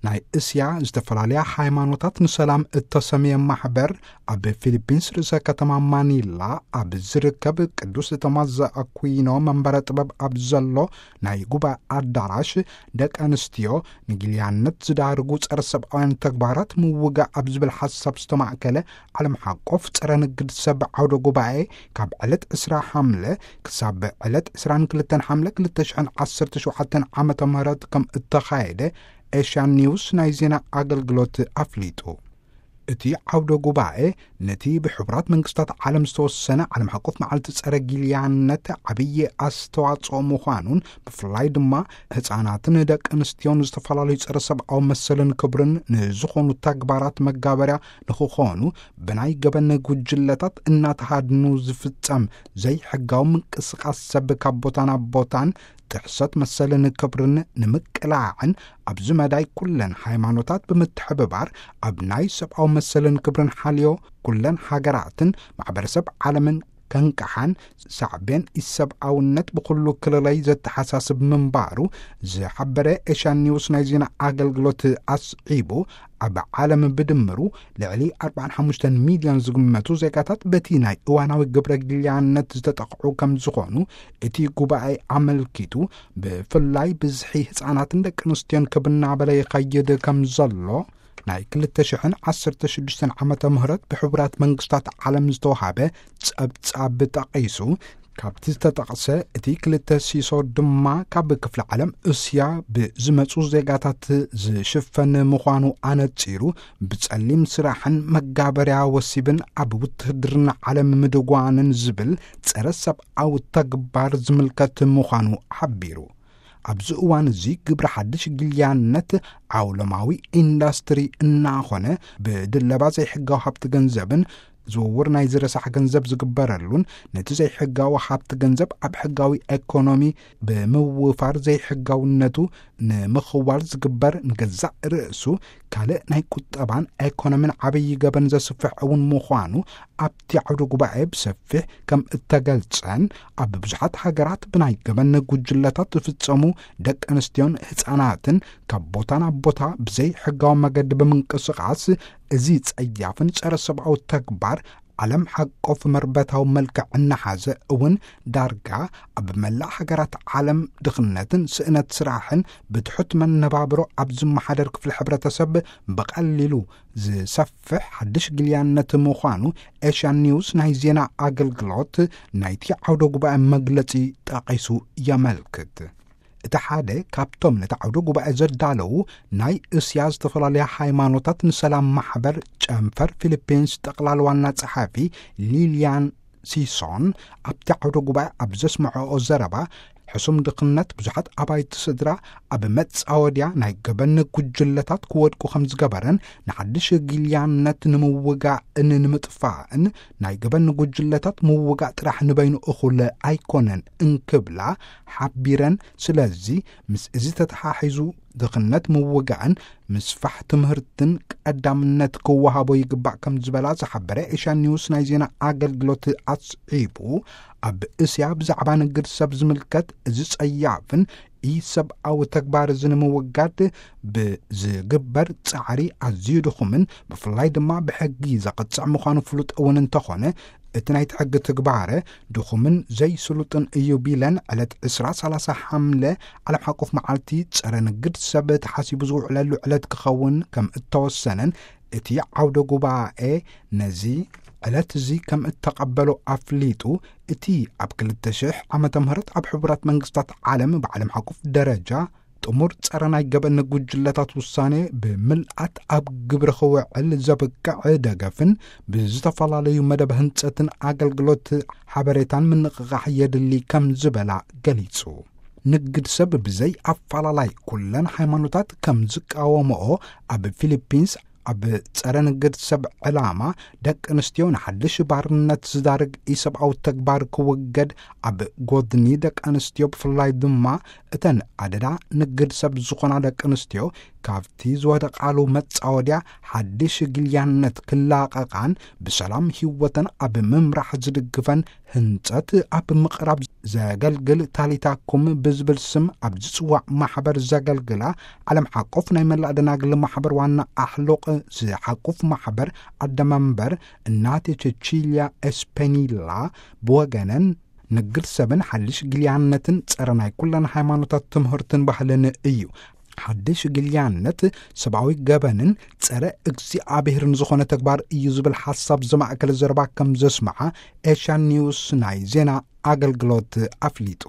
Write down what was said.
ናይ እስያ ዝተፈላለያ ሃይማኖታት ንሰላም እተሰምየ ማሕበር፣ ኣብ ፊሊፒንስ ርእሰ ከተማ ማኒላ ኣብ ዝርከብ ቅዱስ ቶማስ ዘኣኩይኖ መንበረ ጥበብ ኣብ ዘሎ ናይ ጉባኤ ኣዳራሽ፣ ደቂ ኣንስትዮ ንጊልያነት ዝዳርጉ ጸረ ሰብኣውያን ተግባራት ምውጋእ ኣብ ዝብል ሓሳብ ዝተማእከለ ዓለም ሓቆፍ ጸረ ንግድ ሰብ ዓውደ ጉባኤ፣ ካብ ዕለት ዕስራ ሓምለ ክሳብ ዕለት ዕስራን ክልተን ሓምለ ክልተ ሽሕን ዓሰርተ ሸውዓተን ዓመተ ምህረት ከም እተኻየደ ኤሽያን ኒውስ ናይ ዜና ኣገልግሎት ኣፍሊጡ። እቲ ዓውደ ጉባኤ፣ ነቲ ብሕቡራት መንግስታት ዓለም ዝተወሰነ ዓለም ሓቆፍ መዓልቲ ጸረ ጊልያነት ዓብዪ ኣስተዋጽኦ ምዃኑን፣ ብፍላይ ድማ ህጻናትን ደቂ ኣንስትዮን ዝተፈላለዩ ጸረ ሰብኣዊ መሰልን ክብርን ንዝኾኑ ተግባራት መጋበርያ ንኽኾኑ፣ ብናይ ገበን ጉጅለታት እናተሃድኑ ዝፍጸም ዘይሕጋዊ ምንቅስቓስ ሰብ ካብ ቦታ ናብ ቦታን ጥሕሰት መሰልን ክብርን ንምቅላዕን፣ ኣብዚ መዳይ ኩለን ሃይማኖታት ብምትሕብባር፣ ኣብ ናይ ሰብኣዊ መሰልን ክብርን ሓልዮ ኩለን ሃገራትን ማሕበረሰብ ዓለምን ከንቅሓን፣ ሳዕቤን ኢሰብኣውነት ብኹሉ ክልለይ ዘተሓሳስብ ምንባሩ ዝሓበረ ኤሽያን ኒውስ ናይ ዜና ኣገልግሎት ኣስዒቡ፣ ኣብ ዓለም ብድምሩ ልዕሊ ኣርባዓን ሓሙሽተን ሚልዮን ዝግመቱ ዜጋታት በቲ ናይ እዋናዊ ግብረ ጊልያነት ዝተጠቕዑ ከም ዝኾኑ እቲ ጉባኤ ኣመልኪቱ፣ ብፍላይ ብዝሒ ህጻናትን ደቂ ኣንስትዮን ክብ እናበለ ይኸይድ ከም ዘሎ ናይ ክልተ ሽሕን ዓሰርተ ሽዱሽተን ዓመተ ምህረት ብሕቡራት መንግስታት ዓለም ዝተወሃበ ጸብጻብ ጠቒሱ፣ ካብቲ ዝተጠቕሰ እቲ ክልተ ሲሶ ድማ ካብ ክፍለ ዓለም እስያ ብዝመጹ ዜጋታት ዝሽፈን ምዃኑ ኣነጺሩ፣ ብጸሊም ስራሕን መጋበርያ ወሲብን ኣብ ውትህድርና ዓለም ምድጓንን ዝብል ጸረ ሰብኣዊ ተግባር ዝምልከት ምዃኑ ሓቢሩ። ኣብዚ እዋን እዚ ግብሪ ሓድሽ ግልያነት ዓውለማዊ ኢንዳስትሪ እናኾነ፣ ብድለባ ዘይሕጋዊ ሃብቲ ገንዘብን ዝውውር ናይ ዝረሳሕ ገንዘብ ዝግበረሉን፣ ነቲ ዘይሕጋዊ ሃብቲ ገንዘብ ኣብ ሕጋዊ ኤኮኖሚ ብምውፋር ዘይሕጋውነቱ ንምኽዋል ዝግበር፣ ንገዛእ ርእሱ ካልእ ናይ ቁጠባን ኤኮኖሚን ዓብዪ ገበን ዘስፍሕ እውን ምዃኑ ኣብቲ ዓውደ ጉባኤ ብሰፊሕ ከም እተገልጸን፣ ኣብ ብዙሓት ሃገራት ብናይ ገበን ጉጅለታት ዝፍጸሙ ደቂ ኣንስትዮን ህጻናትን ካብ ቦታ ናብ ቦታ ብዘይ ሕጋዊ መገዲ ብምንቅስቓስ፣ እዚ ጸያፍን ጸረ ሰብኣዊ ተግባር ዓለም ሓቆፍ መርበታዊ መልክዕ እናሓዘ እውን፣ ዳርጋ ኣብ መላእ ሃገራት ዓለም ድኽነትን ስእነት ስራሕን ብትሑት መነባብሮ ኣብ ዝመሓደር ክፍሊ ሕብረተሰብ ብቐሊሉ ዝሰፍሕ ሓድሽ ግልያነት ምዃኑ ኤሽያን ኒውስ ናይ ዜና ኣገልግሎት ናይቲ ዓውደ ጉባኤ መግለጺ ጠቒሱ የመልክት። እቲ ሓደ ካብቶም ነቲ ዓውደ ጉባኤ ዘዳለዉ ናይ እስያ ዝተፈላለያ ሃይማኖታት ንሰላም ማሕበር ጨንፈር ፊሊፒንስ ጠቕላል ዋና ጸሓፊ ሊልያን ሲሶን፣ ኣብቲ ዓውደ ጉባኤ ኣብ ዘስምዐኦ ዘረባ፣ ሕሱም ድኽነት ብዙሓት ኣባይቲ ስድራ ኣብ መጻወድያ ናይ ገበን ጉጅለታት ክወድቁ ከም ዝገበረን፣ ንሓድሽ ግልያነት ንምውጋእን ንምጥፋእን ናይ ገበን ጉጅለታት ምውጋእ ጥራሕ ንበይኑ እኹል ኣይኮነን እንክብላ ሓቢረን። ስለዚ ምስ እዚ ተተሓሒዙ ድኽነት ምውጋእን ምስፋሕ ትምህርትን ቀዳምነት ክወሃቦ ይግባእ ከም ዝበላ ዝሓበረ ኤሽያን ኒውስ ናይ ዜና ኣገልግሎት ኣስዒቡ፣ ኣብ እስያ ብዛዕባ ንግድ ሰብ ዝምልከት እዚ ጸያፍን ኢሰብኣዊ ተግባር እዚ ንምውጋድ ብዝግበር ጻዕሪ ኣዝዩ ድኹምን ብፍላይ ድማ ብሕጊ ዘቕጽዕ ምዃኑ ፍሉጥ እውን እንተኾነ፣ እቲ ናይቲ ሕጊ ትግባረ ድኹምን ዘይስሉጥን እዩ ቢለን፣ ዕለት ዕስራ ሰላሳ ሓምለ ዓለም ሓቆፍ መዓልቲ ጸረ ንግድ ሰብ ተሓሲቡ ዝውዕለሉ ዕለት ክኸውን ከም እተወሰነን፣ እቲ ዓውደ ጉባኤ ነዚ ዕለት እዚ ከም እተቐበሎ ኣፍሊጡ። እቲ ኣብ ክልተ ሽሕ ዓመተ ምህረት ኣብ ሕቡራት መንግስታት ዓለም ብዓለም ሓቆፍ ደረጃ ጥሙር ጸረ ናይ ገበን ጉጅለታት ውሳኔ ብምልኣት ኣብ ግብሪ ክውዕል ዘብቅዕ ደገፍን ብዝተፈላለዩ መደብ ህንጸትን ኣገልግሎት ሓበሬታን ምንቕቓሕ የድሊ ከም ዝበላ ገሊጹ። ንግድ ሰብ ብዘይ ኣፈላላይ ኩለን ሃይማኖታት ከም ዝቃወምኦ፣ ኣብ ፊሊፒንስ ኣብ ጸረ ንግድ ሰብ ዕላማ ደቂ ኣንስትዮ ንሓድሽ ባርነት ዝዳርግ ኢሰብኣዊ ተግባር ክውገድ፣ ኣብ ጎድኒ ደቂ ኣንስትዮ ብፍላይ ድማ እተን ኣደዳ ንግድ ሰብ ዝኾና ደቂ ኣንስትዮ ካብቲ ዝወደቓሉ መጻወድያ ሓድሽ ግልያነት ክላቐቓን ብሰላም ህይወተን ኣብ ምምራሕ ዝድግፈን ህንጸት ኣብ ምቕራብ ዘገልግል ታሊታኩም ብዝብል ስም ኣብ ዝጽዋዕ ማሕበር ዘገልግላ ዓለም ሓቆፍ ናይ መላእ ደናግል ማሕበር ዋና ኣሕሉቕ ዝሓቁፍ ማሕበር ኣደመንበር እናቴ ቸቺልያ ኤስፔኒላ ብወገነን ንግድ ሰብን ሓድሽ ግልያነትን ጸረ ናይ ኩለን ሃይማኖታት ትምህርትን ባህልን እዩ። ሓድሽ ግልያነት ሰብኣዊ ገበንን ጸረ እግዚኣብሔርን ዝኾነ ተግባር እዩ ዝብል ሓሳብ ዘማእከለ ዘረባ ከም ዘስምዓ ኤሽያን ኒውስ ናይ ዜና ኣገልግሎት ኣፍሊጡ።